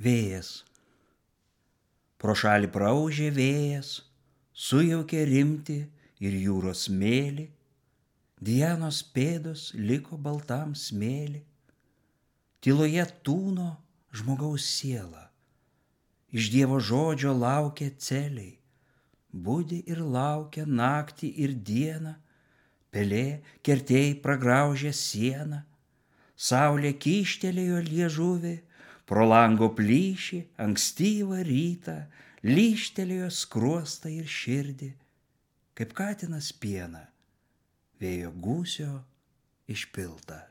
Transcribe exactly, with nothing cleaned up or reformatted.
Vėjas. Pro šalį praūžė vėjas, sujaukė rimtį ir jūros smėlį, Dianos pėdos liko baltam smėlį. Tyloje tūno žmogaus siela, iš Dievo žodžio laukia celiai, budi ir laukia naktį ir dieną, pelė kertėjai pragraužė sieną, saulė kyštelėjo liežuvį, pro lango plyšį ankstyvą rytą lyžtelėjo skruostą ir širdį, kaip katinas pieną, vėjo gūsio išpiltą.